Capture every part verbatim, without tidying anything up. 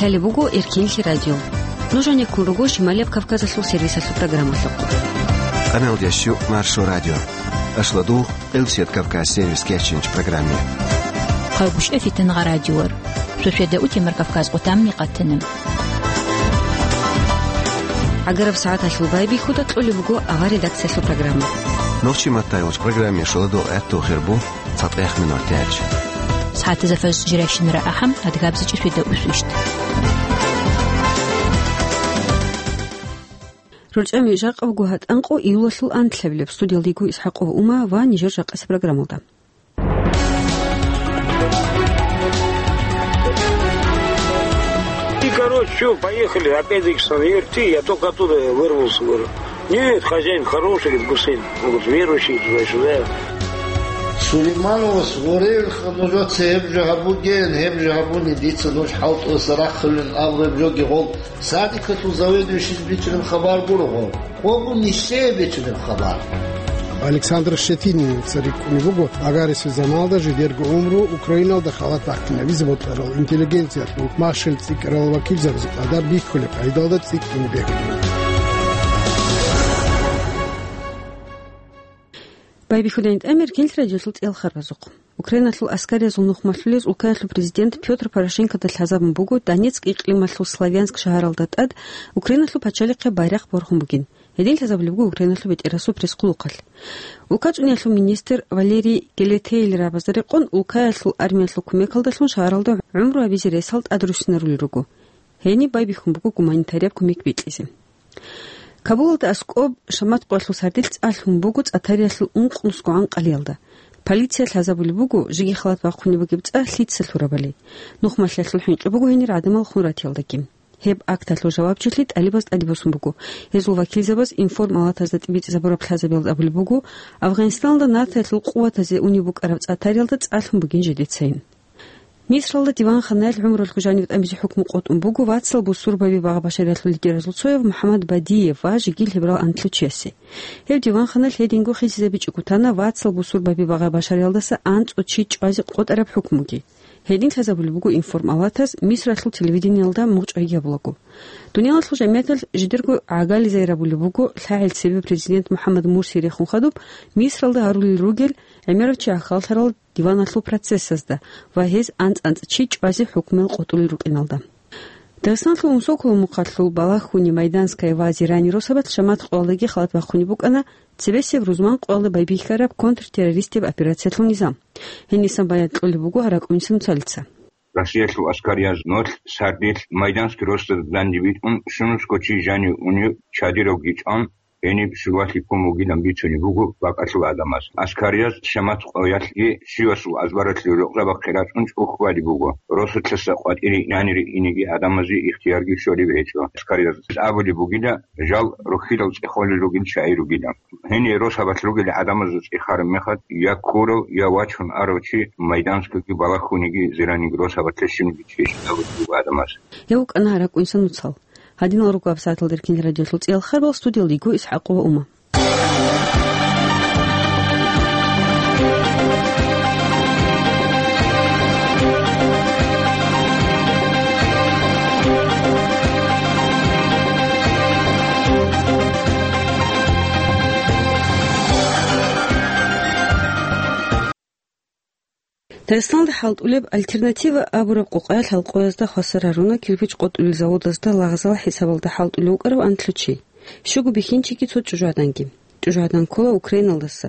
Гьале буго Эркинлъи радио. Нуж гьанеккун руго Шималияб Кавказалъул сервисалъул программалъухъ. Къаналдящу Маршо радио. Ашладугъ, Элсет Кавказ сервис кечинч программе. Хъайгъушев Фитангъа радиор. Шошеда утемар Кавказ къутамни къатана. Агараб сагӀаталъул байбихьуда кьолеб буго авар редакциялъул программа. Нохчи маттайгъуч программе шоладул гӀатту хирбу. ЦатӀех минутач. СагӀатазда фажр жирайщинара ахӀам, адгабзичӀи шведа усвищт. РорчӀами жакъа буго гьатӀанкъо июлалъул анлъабилеб. Студиялда йиго ИсхӀакъова Ума ва нижер жакъасеб программалда. И, короче, всё, поехали, опять-таки, с верти, я только оттуда вырвался, говорю. Нет, хозяин хороший, говорит, Гусейн. Он говорит, верующий туда-сюда. Сулеймановас гъоревилха нужеца гьеб жо гьабуген, гьеб жо гьабуни, дица нуж хӀалтӀуса рахъулин абу гьеб жоги гъол садикалъул заведующийс бичӀчӀараб хабар гуро гъол. Къого нилъее бичӀчӀараб хабар. Александр Щетиница рикӀкӀунеб буго агарисеб заманалда жидерго гӀумру Украиналда халат бахъинабизе бокьарал интеллигенциялъул махщел цӀикӀкӀарал вакилзабазул къадар бихьулеб къагӀидалда цӀикӀкӀине бегьулеб. Байбихьудайин тӀамир гьел радиолъул цӀел харбазухъ. Украиналъул аскариязул нухмалъулез улкаялъул президент Пётр Порошенкода лъазабун буго Донецк икълималъул Славянск шагьаралда тӀад Украиналъул пачалихъе байрахъ борхун бугин. Гьедин лъазабулеб буго Украиналъул бетӀерасул пресс-хъулухъалъ. Улкачуниялъул министр Валерий Гелетейлъ рагӀабазда рекъон, улкаялъул армиялъул кумекалдалъун шагьаралда гӀумру гьабизе ресал тӀад руссинарулел руго. Гьениб байбихьун буго гуманитарияб кумек бикьизе. Кабулалда аскӀоб шамат къоялъул сардилъ цӀа лъун буго цӀатариялъул ункънусгогӀан къалиялда. Полиция лъазабулеб буго жеги халат бахъунеб бугеб цӀа лъица лъурабали. Нухмалъиялъул хӀинкъи буго гьенир гӀадамал хун ратиялдаги. Гьеб акталъул жавабчилъи тӀалибаз тӀаде босун буго. Гьезул вакилзабаз информалатазда тӀибитӀизабураб лъазабиялда абулеб буго, Афганистаналда НАТОялъул къуватазе унеб букӀараб цӀатариялда цӀа лъун бугин жидецайин. Мисралда диванханаялъ гӀумрулъго жанив тӀамизе хӀукму къотӀун буго вацал бусурбаби багъа-башариялъул лидеразул цояв МухӀаммад Бадиев ва жегил гьебрал анлъго чиясе. Гьеб диванханалъ гьединго хисизабичӀого тана вацал бусурбаби багъа-башариялдаса анцӀго чи чӀвазе къотӀараб хӀукмуги. Гьедин лъазабулеб буго информалатаз Мисралъул телевидениялда мугъчӀвайги гьабулаго. Дуниялалъул жамигӀаталъ жидерго гӀагализайрабулеб буго лъагӀел цебе президент МухӀаммад Мурси рехун хадуб Мисралда гьарулел ругел гӀемерав чи ахаллъарал диваналъул процессазда ва гьез анцӀ-анцӀ чи чӀвазе хӀукмуял къотӀулел рукӀиналда. Дагъистаналъул Умсоколо мухъалъул Балахуни, Майданская ва Зирани росабалъ шамат къоялдаги халат бахъунеб букӀана цебесеб рузман къоялда байбихьараб контртеррористияб операциялъул низам. Гьенисан баян кьолеб буго ракӀунси нуцалица. Россиялъул аскарияз нолъ сардилъ Майданский росабазда данде битӀун, щунусго чи жанив унев чадиравги чӀван, гьениб щулалъи ккун вугилан бицунеб буго бакӀалъул гӀадамаз. Аскарияз шамат къоялъги щивасул азбаралъе рукъзабахъе рачӀун чӀухь балеб буго. Росулъаса къватӀире инанире инеги гӀадамазе ихтиярги щолеб гьечӀо. Аскарияз абулеб бугила, жал рохьилал цӀех холел ругел чагӀи ругила. Гьенир росабалъ ругел гӀадамазул цӀех гьарун мехалъ, я ккурав, я вачун арав чи Майданскиги, Балахуниги, Зираниги росабалъе щибниги чи щвезабулеб буго гӀадамаз. Гьев вукӀана ракӀунсан нуцал. Гьадинал руго гьаб сагӀаталда Эркин радиолъул цӀиял харбал, студиялда йиго ИсхӀакъова Ума. Дагъистаналда хӀалтӀулеб «Альтернатива» абураб къокъаялъ гьалкъоязда хвасар гьаруна кирпич къотӀулел заводазда лагъзал хӀисабалда хӀалтӀулев вукӀарав анлъго чи. Щуго бихьинчиги цо чӀужугӀаданги. ЧӀужугӀадан ккола Украиналдаса.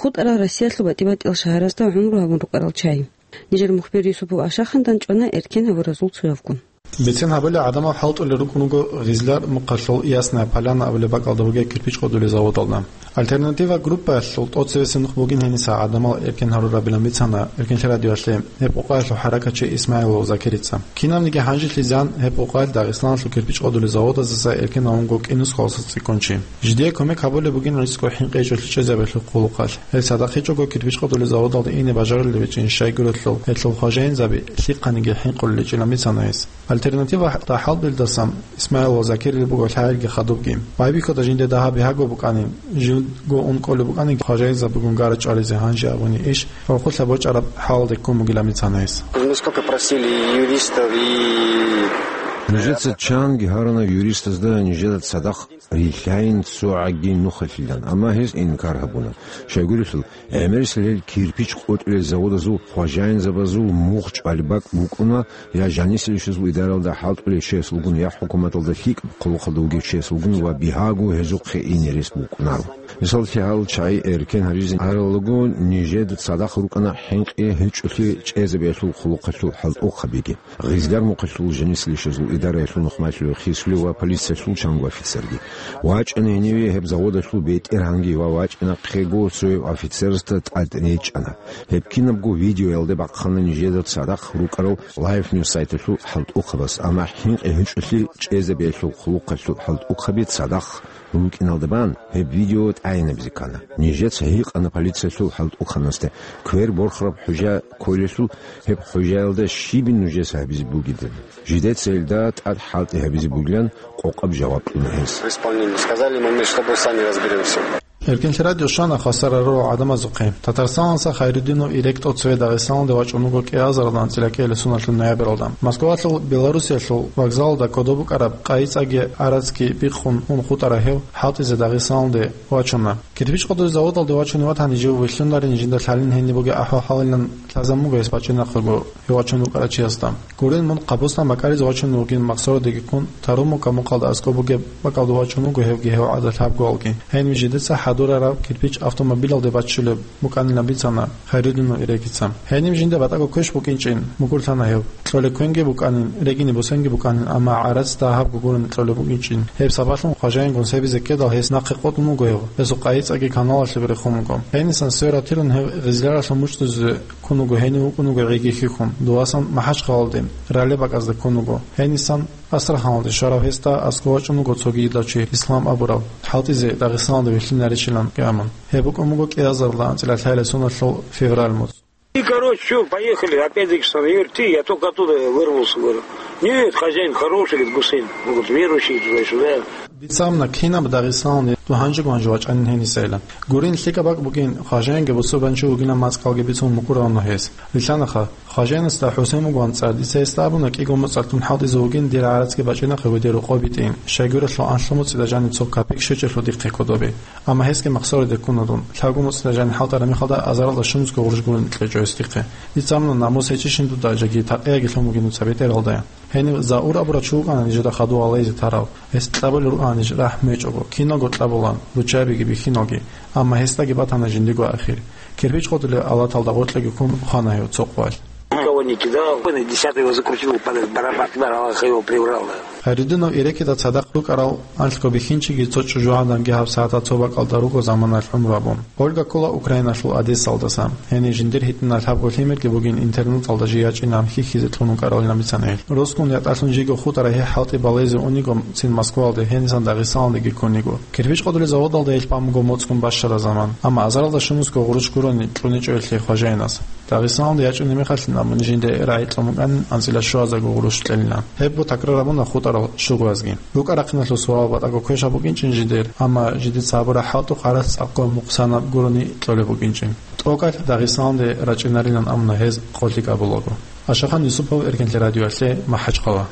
ХутӀарал Россиялъул батӀи-батӀиял шагьаразда гӀумру гьабун рукӀарал чагӀи. Нижер мухбир Юсупов Ашахандан чӀвана эркен гьабуразул цоявгун. Бицен гьабула, гӀадамал хӀалтӀулел рукӀун руго Гъизлар мухъалъул Ясная Поляна абулеб бакӀалда бугеб кирпич къотӀулел заводалда. «Альтернатива» группаялъул тӀоцевесеб нух бугин гьениса гӀадамал эркен гьарурабилан бицана Эркенлъи радиоялъе гьеб къокъаялъул хӀаракатчи Исмаилов Закирица. Кинабниги гьанжелъизан гьеб къокъаялъ Дагъистаналъул кирпич къотӀулел заводаздаса эркен гьавунго кӀинусго цӀикӀкӀун чи. Жидее кумек гьабулеб бугин ризкъу хӀинкъичӀолъи чӀезабиялъул хъулухъалъ. Гьеб цадахъ гьечӀого кирпич къотӀулел заводалда ине бажарулеб гьечӀин щайгурелъул, гьелъул хважаинзаби лъихъаниги хӀинкъулел гьечӀилан бицана гьес. «Альтернатива» тӀахӀалбилдасан Исмаил ва Закирил буго лъагӀелги хадубги. Байбихьуда жинде дагьаб бигьаго букӀанин, живго ун кӀолеб букӀанин, хважаинзабигун гара чӀвализе гьанже абуни иш гӀурхъулъа бочӀараб хӀалалде ккун бугилан бицана гьес. Мы сколько просили юристов и Нижеца чанги гьарана юристазда нижеда цадахъ рилълъайин цо гӀаги нухалъилан, амма гьез инкар гьабуна. Щайгурелъул, гӀемерисел гьел кирпич къотӀулел заводазул хважаинзабазул мугъ чӀвалеб бакӀ букӀуна, я жанисел ишазул идаралда хӀалтӀулев чиясулгун, я хӀукуматалда лъикӀаб хъулухъалда вугев чиясулгун ва бигьаго гьезухъе ине рес букӀунаро. Мисаллъи, гьал чагӀи эркен гьаризе аралаго, нижеда цадахъ рукӀана хӀинкъи гьечӀолъи чӀезабиялъул хъулухъалъул хӀалтӀухъабиги. Гъизлар мухъалъул жанисел ишазул идараялъул нухмалъулев хисулев ва полициялъул чанго офицерги. ВачӀана гьениве гьеб заводалъул бетӀергьанги ва вачӀинахъего цояв офицерасда тӀад речӀчӀана. Гьеб кинабго видеоялде бахъана нижеда цадахъ рукӀарал Life News сайталъул хӀалтӀухъабаз, амма хӀинкъи гьечӀолъи чӀезабиялъул хъулухъалъул хӀалтӀухъаби цадахъ рукӀиналда бан, гьеб видео тӀайинабизе ккана. Нижеца гьикъана полициялъул хӀалтӀухъанасде, квер борхараб хӀужа кколелъул, гьеб хӀужаялда щибин нужеца гьабизе бугебали. Жидеца гьелда тӀад хӀалтӀи гьабизе бугилан къокъаб жаваб кьуна гьес. В исполнении. Сказали мы, мы с тобой сами разберемся. Эркенлъи радио щвана хвасар рорал гӀадамазухъе. Татарстаналдаса Хайруддинов Ирек тӀоцеве Дагъистаналде вачӀун вуго кӀиазаралда анцӀила кӀиялесуналъул ноябралда. Москвалъул Белоруссиялъул вокзалалда кодоб букӀараб къайи цӀаги гӀарацги биххун ун хутӀараб гьев хӀалтӀизе Дагъистаналде вачуна. Кирпич къотӀулел заводалде вачунев ватани, жив вилълъунарин, жинда лъалин гьениб бугеб ахӀвал-хӀалилан лъазабун буго гьес бачӀинахъего, гьев вачун рукӀарав чиясда. Гурин, мун Къабустан бакӀаризе вачун вугин, махсарадеги ккун, Таруму камукъалда аскӀоб бугеб бакӀалда вачун вуго гьевги гьев гӀадат лъабгоялги. Гьенив жидеца хӀадурараб кирпич автомобилалде баччулеб букӀанилан бицана Хайруддинов Ирекица. Гьенив жинда батӀаго квеш букӀинчӀин мукӀурлъана гьев. Кьолеб квенги букӀанин, регине босенги букӀанин, амма гӀарац дагьабго гурони кьолеб букӀинчӀин. Гьеб сабаблъун хважаинго себизе ккедал гьес нахъе къотӀун вуго гьев. Гьесул къайи цӀаги каналалъе рехун вуго. Гьенисан свератирун гьев Гъизляралъул мучӀдузе ккун вуго, гьенив вукӀун вуго гӀиги хихьун. Дувасан МахӀачхъалалде, ралеб бакӀазда ккун вуго. Гьенисан Астраханалде щварав гьесда аскӀов вачӀун вуго цоги йидав чи, Ислам абурав, хӀалтӀизе Дагъистаналда вилълъинаричилан гӀамун. Гьеб букӀун буго кӀиазаралда анцӀила лъалесуналъул февраль муцӀ. И, короче, чё, поехали, опять-таки, что, говорит, ты, я только оттуда вырвался, говорю. Нет, хозяин хороший, говорит, Гусейн, говорит, верующий туда-сюда. Дица абуна, кинаб Дагъистаналде дун гьанжего-гьанже вачӀанин гьенисайилан. Гурин, лъикӀаб бакӀ бугин, хважаинги бусурбанчи вугилан мацӀкӀалги бицун мукӀуравуна гьес. Вилълъанха, хважаинасда ХӀусен вугоан цӀар, дица гьесда абуна, кӀиго моцӀалъун хӀалтӀизе вугин, дир гӀарацги бачӀинахъего дир рокъоб битӀин, щайгурелъул анлъго моцӀида жаниб цо капек щвечӀелъул дихъе кодобе. Амма гьесги махсараде ккуна дун. Лъабго моцӀида жаниб хӀалтӀараб мехалда азаралда щунусго гъурущ гурони кьечӀо гьес дихъе. Дица абуна, намус гьечӀищин дуда, жеги такъияги лъун бугин дуца бетӀералдаян. Гьенив Заур абурав чи вукӀана нижеда хадув гьалайзе тарав. Гьес кьабулел рукӀана ниж рахӀ мечӀого, киналго кьабулаан, руччабиги бихьиналги. Амма гьесдаги батана жиндиго ахир. Кирпич къотӀулел алаталда гъоркьеги ккун хвана гьев цо къвалъ. Никого не кидал. Десятый его закрутил, под барабан, Аллах его прибрал, да. Хайруддинов Ирекида цадахъ рукӀарал анлъго бихьинчиги цо чӀужугӀаданги гьаб сагӀаталда цо бакӀалда руго заманалъ гӀумру гьабун. Ольга ккола Украиналъул Одессалдаса. Гьенив жиндир гьитӀинал лъабго лъимерги бугин, интернаталда жий ячӀинегӀан хьихьизе кьун вукӀаралилан бицана гьел. Росгун ятӀалъун жийго хутӀараб гьеб хӀалтӀи балезе униго цин Москвалде, гьенисан Дагъистаналдеги ккуниго. Кирпич къотӀулел заводалда гьел бан буго моцӀгун бащараб заман, амма азаралда щунусго гъурущ гурони кьуничӀо гьелъие хважаинас. Дагъистаналде ячӀунеб мехалъин абуни жинда рагӀи кьун букӀанин анцӀила щуазарго гъурущ кьелилан. Гьебго такрар гьабуна хутӀарал щугоязги. РукӀа-рахъиналъул суал батӀаго квешаб букӀинчӀин жидер, амма жидеца гьабураб хӀалтӀухъ гӀарац цӀакъго мукъсанаб гурони кьолеб букӀинчӀин. ТӀокӀалъ Дагъистаналде рачӀинарилан абуна гьез къолъи кӀабулаго. Ашахан Юсупов, Эркенлъи радиоялъе, МахӀачхъала.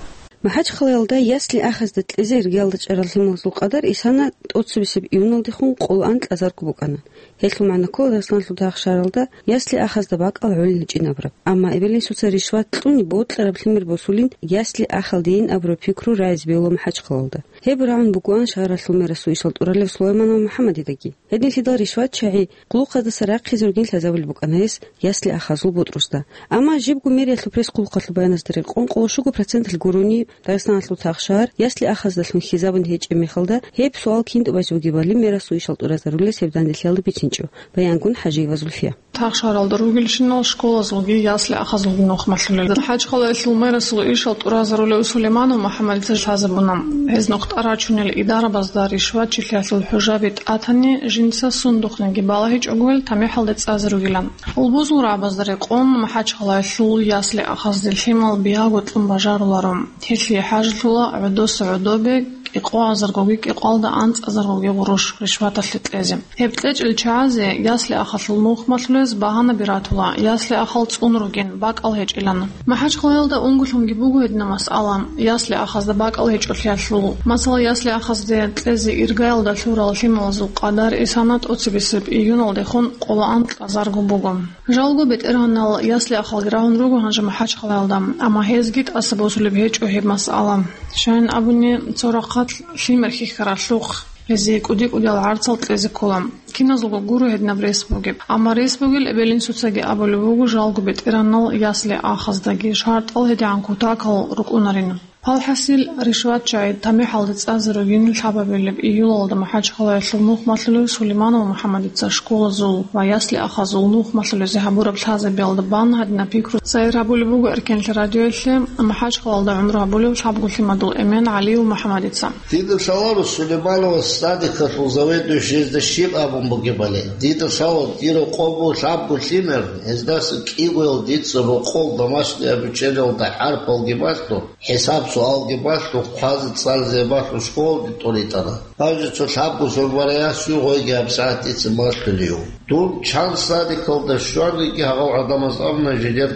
МахӀачхъалаялда ясли ахӀазда кьезе иргаялда чӀарал лъималазул къадар исана тӀоцебесеб июналдехун къоло ан кьазарго букӀана. Гьелъул магӀна ккола Дагъистаналъул дагъ шагьаралда ясли ахӀазда бакӀал гӀолин гьечӀин абураб. Амма эбел-инсуца ришват кьуни бокьараб лъимер босулин ясли ахӀалдейин абураб пикру рагӀизе бегьула МахӀачхъалаялда. Гьеб рагӀун бугоан шагьаралъул мерасул ишал тӀуралев Сулайманов МухӀаммадидаги. Гьединлъидал ришват чагӀи къулухъаздаса рахъизе ругин лъазабулеб букӀана гьес ясли ахӀазул бутӀрузда. Амма жибго мэриялъул пресс-къулухъалъул баяназда рекъон, къоло щуго проценталъ гурони Дагъистаналъул тахшар ясли ахӀаздалъун хьизабун гьечӀеб мехалда, гьеб суал кин тӀубазе бугебали мерасул ишал тӀуразарулес гьеб данделъиялда бицинчӀо, баянгун ХӀажиева Зульфия. Тахшаралда ругелщинал школазулги ясли ахӀазулги нухмалъулел. МахӀачхъалаялъул мерасул ишал тӀуразарулев Сулейманов МухӀаммадица лъазабуна, гьез нухтӀа рачунел идарабазда ришватчилъиялъул хӀужаби тӀатани, жинца сундухъниги балагьичӀого гьел тамихӀалде цӀазе ругилан. Гьалбузул рагӀабазда рекъон, МахӀачхъалаялъул ясли ахӀазде лъимал биялго кьун бажаруларо. Гьелъие хӀажалъула гӀодоса гӀодобе кӀикъоазаргоги кӀикъоялда анцӀазаргоги гъурущ ришваталъе кьезе. Гьеб кьечӀел чагӀазе ясли-ахалъул нухмалъулез багьанаби ратула, ясли-ахал цӀун ругин, бакӀал гьечӀилан. МахӀачхъалаялда унголъунги буго гьедина масъала, ясли-ахазда бакӀал гьечӀолъиялъул. Масала, ясли-ахазде кьезе иргаялда лъурал лъималазул къадар исана тӀоцебесеб июналдехун къоло анкьазарго буго. Жалго бетӀергьанал ясли-ахалги рагьун руго гьанже МахӀачхъалаялда, амма гьезги тӀаса босулеб гьечӀо гьеб масъала. Щайин абуни, цо рахъалъ лъимер хьихьаралъухъ гьезие кӀуди-кӀудиял гӀарцал кьезе ккола. Киназулго гуро гьединаб рес бугеб. Амма рес бугел эбел-инсуцаги абулеб буго жалго бетӀергьанал ясли-ахаздаги шартӀал гьедигӀан кутакал рукӀунарин. Палхасил, ришват чагӀи тамихӀалде цӀазе ругин лъабабилеб июлалда МахӀачхъалаялъул нухмалъулев Сулейманов МухӀаммадица школазул ва ясли-ахазул нухмалъулезе гьабураб лъазабиялда бан гьадинаб пикру цайир гьабулеб буго Эркенлъи радиоялъе МахӀачхъалаялда гӀумру гьабулев лъабго лъимадул эмен ГӀалиев МухӀаммадица. Дида лъаларо Сулеймановас садикалъул заведующийзда щиб абун бугебали. Дида лъала дир рокъоб лъабго лъимер, гьездаса кӀигоял дица рокъол домашний обучениялда хӀарпалги балъун, хӀисаб-суалги балъун, хъвазе-цӀализе балъун школалде тӀоритӀана. Гьанже цо лъабго сорбараяс югъойги гьабсагӀат дица малъулев. Дун чан садикалда щваниги гьагъав гӀадамаз абуна жидер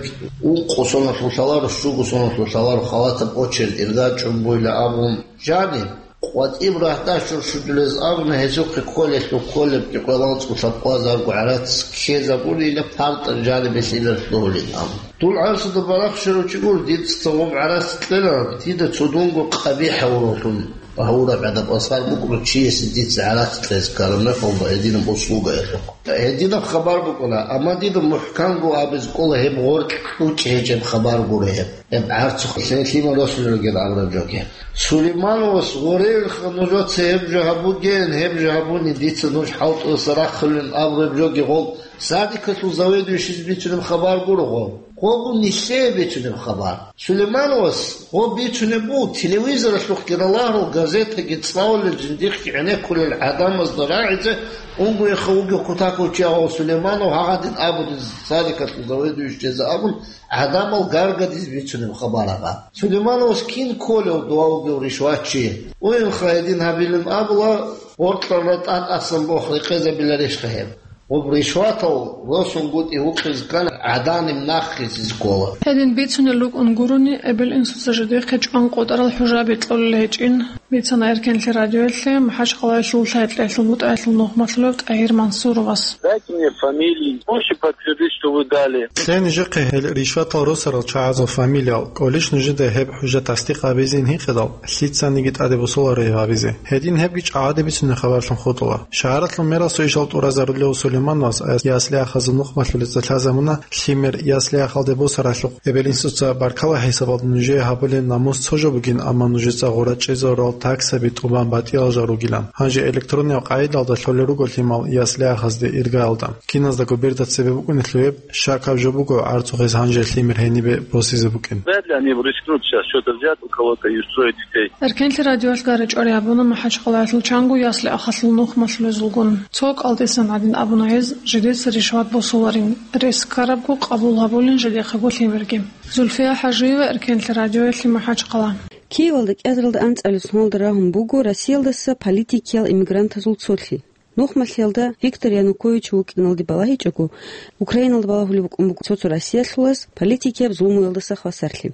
ункъо соналъул лъаларо, щуго соналъул лъаларо халатаб очередь иргачӀун буйла абун. Жаниб, къватӀиб рагьдаш чурччудулез абуна, гьезухъе кколелъул кколебги къвеланцӀго лъабкъоязарго гӀарац ккезабулила, партал жанибе лъилар лъугьулин абун. Дун гӀарцуда барахщарав чи гуро, дица цо гъоб гӀарац кьела, дида цо дунго къабихӀ гьавуралъун гьавураб гӀадаб асар букӀуна чиясе дица гӀарац кьезе ккараб мехалда гьединаб услугаялъухъ. Гьединаб хабар букӀуна, амма дида мухӀканго абизе кӀола гьеб гъоркь кьучӀ гьечӀеб хабар гуро гьеб. Гьеб гӀарцухъ лъимал росулел ругел абураб жоги. Сулеймановас гъоревилха нужеца гьеб жо гьабугеян, гьеб жо гьабуни, дица нуж хӀалтӀуса рахъулин абураб жоги гъов садикалъул заведующийзе бицунеб хабар гуро гъов. Гъовгун нилъее бицунеб хабар. Сулеймановас гъов бицунеб буго телевизоралъухъги ралагьрал газетаги цӀалулел жиндихъги гӀенеккулел гӀадамазда рагӀизе, унгояха вугев кутакав чи гъов Сулейманов гьагъадин абулин садикалъул заведующийзе абун, гӀадамал гаргадизе бицунеб хабар гьаб. Сулеймановас кин кколев дова вугев ришватчи? Уйнха гьедин гьабилин абула, гъоркьарда тӀад асан бох рекъезабиларищха гьеб? Гъоб ришватал росунгутӀи вукъизе ккани, гӀаданиб нахъисез ккола. Гьедин бицунел рукӀун гурони, эбел-инсуца жидехъе чӀван къотӀарал хӀужаби кьолел гьечӀин. Бицана Эркенлъи радиоялъе МахӀачхъалаялъул лъай-кьеялъул бутӀаялъул нухмалъулев ТӀагьир Мансуровас. Дайте мне фамилии. Можете подтвердить, что вы дали? Кье нижехъе гьел ришватал росарал чагӀазул фамилиял, кӀолищ нужеда гьеб хӀужа тасдикъ гьабизин гьикъидал, лъицаниги тӀаде босуларо гьеб гьабизе. Гьедин гьебги чӀагӀаде бицунеб хабарлъун хутӀула. Шагьаралъул мерасул ишал тӀуразарулев Сулеймановас ясли-ахазул нухмалъулеца лъазабуна, лъимер ясли-ахалде босаралъухъ эбел-инсуца баркала хӀисабалда нужее гьабулеб намус цо жо бугин, амма нужеца гъура чӀезарурал таксаби тӀубан батӀиял жал ругилан. Гьанже электрониял къагӀидалда лъолел руго лъимал ясли-ахазде иргаялда. Киназдаго берда цебе букӀунелъул гьеб, щакаб жо буго, гӀарцухъ гьез гьанже лъимер гьенибе босизе букӀин. Вряд ли они рискнут сейчас что-то взять у кого-то и устроить детей. Эркенлъи радиоялъ гьаричӀоре абуна МахӀачхъалаялъул чанго ясли-ахалъул нухмалъулезулгун. Цо кӀалтӀисан гӀадин абуна гьез, жидеца ришват босуларин, рес ккарабго къабул гьабулин жидехъего лъимерги. Зульфия ХӀажиева, Эркенлъи радиоялъе, МахӀачхъала. Киевалда кӀиазаралда анцӀабилеб соналда рагьун буго Россиялдаса политикиял иммигрантазул цолъи. Нухмалъиялда Виктор Янукович вукӀиналде балагьичӀого, Украиналда балагьулеб букӀун буго цо-цо Россиялъулаз политикияб зулмуялдаса хвасарлъи.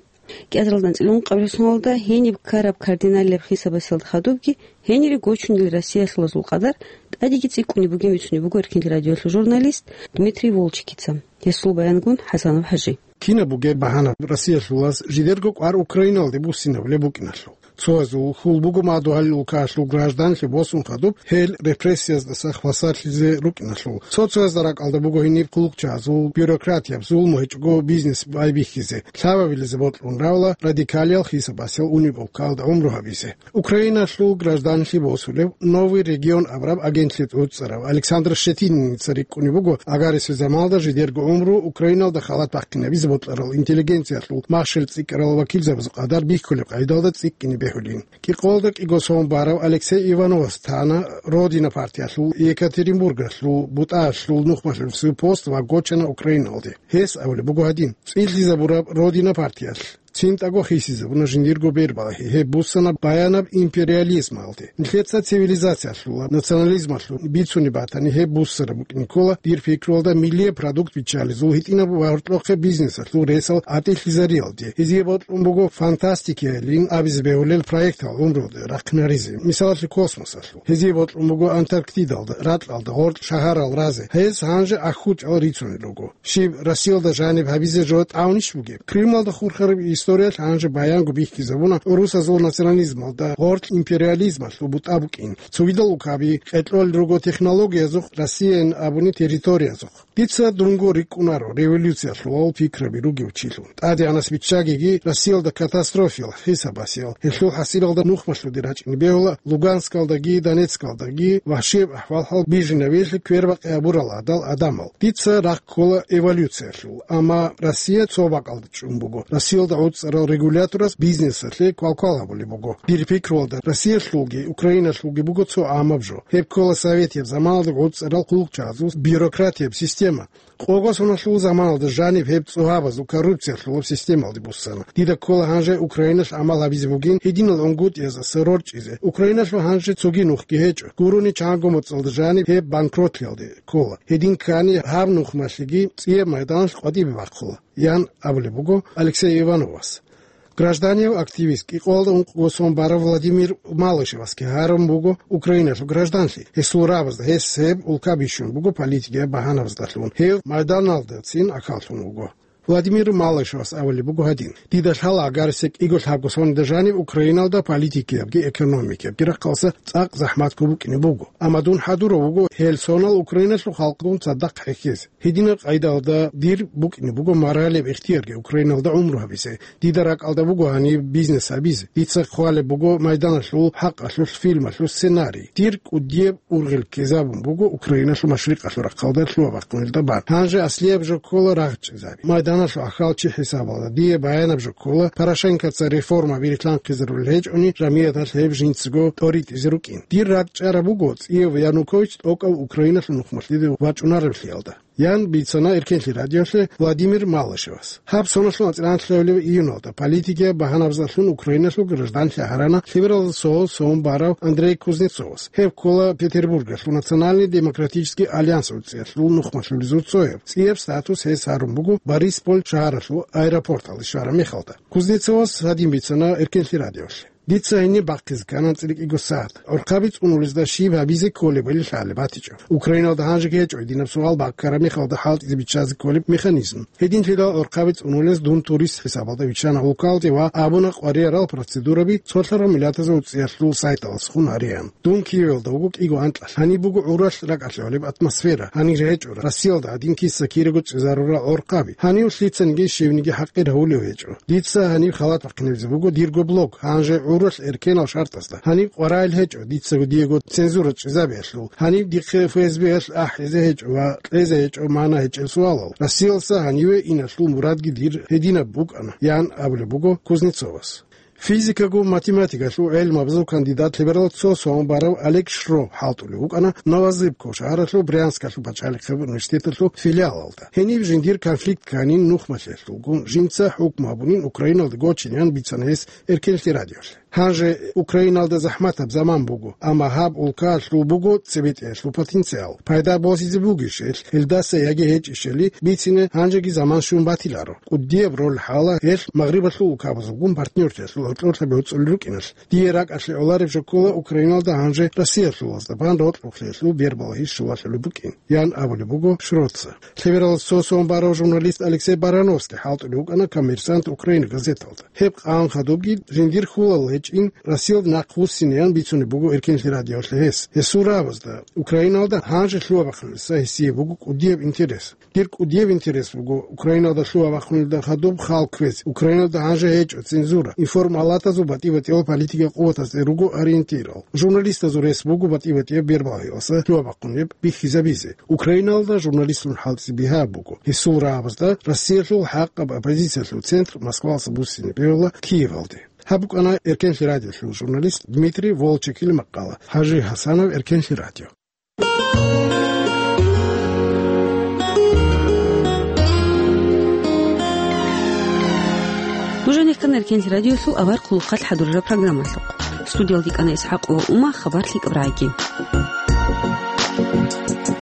КӀиазаралда анцӀила ункъабилеб соналда гьениб ккараб кардиналияб хисабасиялда хадубги гьенире гочунел россиялъулазул къадар тӀадеги цӀикӀкӀунеб бугин бицунеб буго Эркенлъи радиоялъул журналист Дмитрий Волчекица. Гьесул баянгун ХӀасанов ХӀажи. Кинаб бугеб багьана Россиялъулаз жидерго кӀвар Украиналде буссинабулеб букӀиналъул? Цоязул хьул буго мадугьалил улкаялъул гражданлъи босун хадуб гьел репрессияздаса хвасарлъизе рукӀиналъул. Цо-цоязда ракӀалда буго гьениб хъулухъчагӀазул бюрократияб зулму гьечӀого бизнес байбихьизе, лъабабилизе бокьун равала радикалиял хисабасел униб улкаялда гӀумру гьабизе. Украиналъул гражданлъи босулев «Новый регион» абураб агентлъи тӀоцӀцӀарав Александр Щетининица рикӀкӀунеб буго, агар гьесул заманалда жидерго гӀумру Украиналда халат бахъинабизе бокьарал интеллигенциялъул махщел цӀикӀкӀарал вакилзабазул къадар бихьулеб къагӀидалда цӀикӀкӀине бегьулин. КӀикъоялда кӀиго сон барав Алексей Ивановас тана «Родина» партиялъул Екатеринбургралъул бутӀаялъул нухмалъулев пост ва гочана Украиналде. Гьес абулеб буго гьадин: цӀилъизабураб «Родина» партиялъ ЧинтӀаго хисизабуна жиндирго бербалахӀи, гьеб буссана баянаб империализмалде. Нилъеца цивилизациялъул ва национализмалъул бицунеб батани, гьеб буссараб букӀине ккола, дир пикруялда, миллияб продукт биччалезул, гьитӀинаб ва гьоркьохъеб бизнесалъул ресал гӀатӀилъизариялде. Гьезие бокьун буго фантастикиялин абизе бегьулел проектал гӀумруялде рахъинаризе, мисалалъе, космосалъул. Гьезие бокьун буго Антарктидалда, ракьалда, гъоркь шагьарал разе. Гьез гьанже ахьучӀал рицунел руго. Щиб, Россиялда жаниб гьабизе жо тӀамунищ бугеб? Крымалда хурхараб историялъ гьанже баянго бихьизабуна гӀурусазул национализмалда гъоркь империализмалъул бутӀа букӀин. Цогидал улкаби къеркьолел руго технологиязухъ, Россияян абуни территориязухъ. Дица дунго рикӀкӀунаро революциялъулал пикраби ругев чилъун. ТӀадегӀанас биччагиги, Россиялда катастрофиял хӀисабасиял, гьелъул хӀасилалда нухмалъуде рачӀине бегьула Луганскалдаги Донецкалдаги вагьшияб ахӀвал-хӀал бижинавиялъе квербакъи гьабурал гӀадал гӀадамал. Дица рагъ ккола эволюциялъул, амма Россия цо бакӀалда чӀун буго. Россиялда гӀуцӀарал регуляторас бизнесалъе квалквал гьабулеб буго. Дир пикруялда, Россиялъулги Украиналъулги буго цо гӀамаб жо. Гьеб ккола советияб заманалда гӀуцӀарал хъулухъчагӀазул бюрократияб система. Къого соналъул заманалда жаниб гьеб цӀогьабазул коррупциялъулаб системалде буссана. Дида ккола гьанже Украиналъ гӀамал гьабизе бугин гьединал гӀунгутӀиязаса рорчӀизе. Украиналъул гьанже цоги нухги гьечӀо. Гурони чанго моцӀалда жаниб гьеб банкротлъиялде ккола. Гьедин ккани, гьаб нухмалъеги цӀияб майданалъ къватӀибе бахъула, ян абулеб буго Алексей Ивановас. Гражданияв активист, кӀикъоялда ункъго сон барав Владимир Малышевасги гьарун буго Украиналъул гражданлъи. Гьесул рабазда гьес гьеб улка бищун буго политикияб багьанабаздалъун, гьев майданалдацин ахӀаллъун вуго. Владимир Малышевас абулеб буго гьадин: «Дида лъала, агарсе кӀиго-лъабго соналда жаниб Украиналда политикиябги экономикиябги рахъалъа цӀакъ захӀматго букӀине буго. Амма дун хӀадурав вуго гьел сонал Украиналъул халкъгун цадахъ хӀехьезе. Гьединаб къайдаялда дир букӀине буго моралияб ихтиярги Украиналда гӀумру гьабизе. Дида ракӀалда буго гьаниб бизнес гьабизе. Дица хъвалеб буго майданалъул хӀакъалъулъ фильмалъул сценарий. Дир кӀудияб ургъел ккезабун буго Украиналъул машрикъалъул рахъалда лъугьа-бахъунелда бан. Гьанже аслияб жо ккола рагъ чӀезаби. Майданалъул ахӀал чи хӀисабалда дие баянаб жо ккола, Порошенкоца реформаби рилълъанхъизарулел гьечӀони, жамияталъ гьеб жинцаго тӀоритӀизе рукӀин. Дир ракӀ чӀараб буго цӀияв Янукович тӀокӀав Украиналъул нухмалъиде вачӀунаравлъиялда», — ян бицана Эркенлъи радиолъе Владимир Малышевас. Гьаб соналъул анцӀила анлъабилеб июналда политикияб багьанабаздалъун Украиналъул гражданлъи гьарана лъебералда цо сон барав Андрей Кузнецовас. Гьев ккола Петербургалъул Национальный демократический альянс гӀуцӀиялъул нухмалъулезул цояв. ЦӀияб статус гьес гьарун буго Борисполь шагьаралъул аэропорталде щвараб мехалда. Кузнецовас гьадин бицана Эркенлъи радиолъе: «Дица гьениб бахъизе ккана анцӀила кӀиго сагӀат. ГӀурхъаби цӀунулезда щиб гьабизе кколебали лъалеб батичӀо. Украиналда гьанжеги гьечӀо гьединаб суал баккараб мехалда хӀалтӀизе биччазе кколеб механизм. Гьединлъидал гӀурхъаби цӀунулез дун турист хӀисабалда виччана улкалде ва абуна къваригӀарал процедураби цолъарал миллатазул гӀуцӀиялъул сайталдасхун гьареян. Дун Киевалда вуго кӀиго анкьалъ. Гьаниб буго гӀуралъ ракӀалъи гьолеб атмосфера. Гьанир гьечӀо Россиялда гьадин киса-кираго чӀезарурал гӀурхъаби. Гьанив лъицаниги щивниги хӀакъир гьавулев гьечӀо. Дица гьаниб халат бахъинабизе буго дирго блог, гьанже гӀуралъ эркенал шартӀазда. Гьаниб къваригӀел гьечӀо, дицаго диего цензура чӀезабиялъул. Гьаниб дихъе ФСБ-ялъ ахӀизе гьечӀо ва кьезе гьечӀо мана гьечӀел суалал. Россиялдаса гьаниве иналъул мурадги дир гьединаб букӀана», — ян абулеб буго Кузнецовас. Физикагу математикалъул гӀелмабазул кандидат, лъебералда цо сон барав Олег Шро хӀалтӀулев вукӀана Новозыбко шагьаралъул Брянскалъул пачалихъеб университеталъул филиалалда. Гьениб жиндир конфликт кканин нухмалъиялъулгун, жинца хӀукму гьабунин Украиналде гочин, ян бицана гьес Эркенлъи радиолъе. Гьанже Украиналда захӀматаб заман буго, амма гьаб улкаялъул буго цебетӀеялъул потенциал. Пайда босизе бугищ гьелъ, гьелдаса яги гьечӀищали бицине гьанжеги заман щун батиларо. КӀудияб роль хӀала гьелъ Магърибалъул улкабазулгун партнёрлъиялъул гьоркьорлъаби гьуцӀулел рукӀиналъ. Дие ракӀалъе гӀолареб жо ккола Украиналда гьанже Россиялъулазда бан рокьулъиялъул бербалахӀи щулалъулеб букӀин, ян абулеб буго Шроца. Лъебералда цо сон барав журналист Алексей Барановский хӀалтӀулев вукӀана «Коммерсант Украины» газеталда. Гьеб къан хадубги жиндир хьулал гьечӀин, Россиялда нахъвуссинеян бицунеб буго Эркенлъи радиолъе гьес. Гьесул рабазда Украиналда гьанже лъугьа-бахъунилдаса гьесие буго кӀудияб интерес. Дир кӀудияб интерес буго Украиналда лъугьа-бахъунилда хадуб хал кквезе. Украиналда гьанже гьечӀо цензура, информалатазул батӀи-батӀиял политикиял къуватазде руго ориентирал. Журналистазул рес буго батӀи-батӀияб бербалахӀиялдаса лъугьа-бахъунеб бихьизабизе. Украиналда журналистлъун хӀалтӀизе бигьа буго. Гьесул рагӀабазда Россиялъул хӀакъаб оппозициялъул центр Москвалдаса буссине бегьула Киевалде. Гьаб букӀана Эркенлъи радиолъул журналист Дмитрий Волчекил макъала. Гьажи Гьасанов, Эркенлъи радио. Нужениккан Эркенлъи радиолъул авар хъулухъалъ хӀадурараб программалъухъ. Студиялда кӀана ИсхӀакъ ва Ума, хабар лъикӀаб рагӀиги.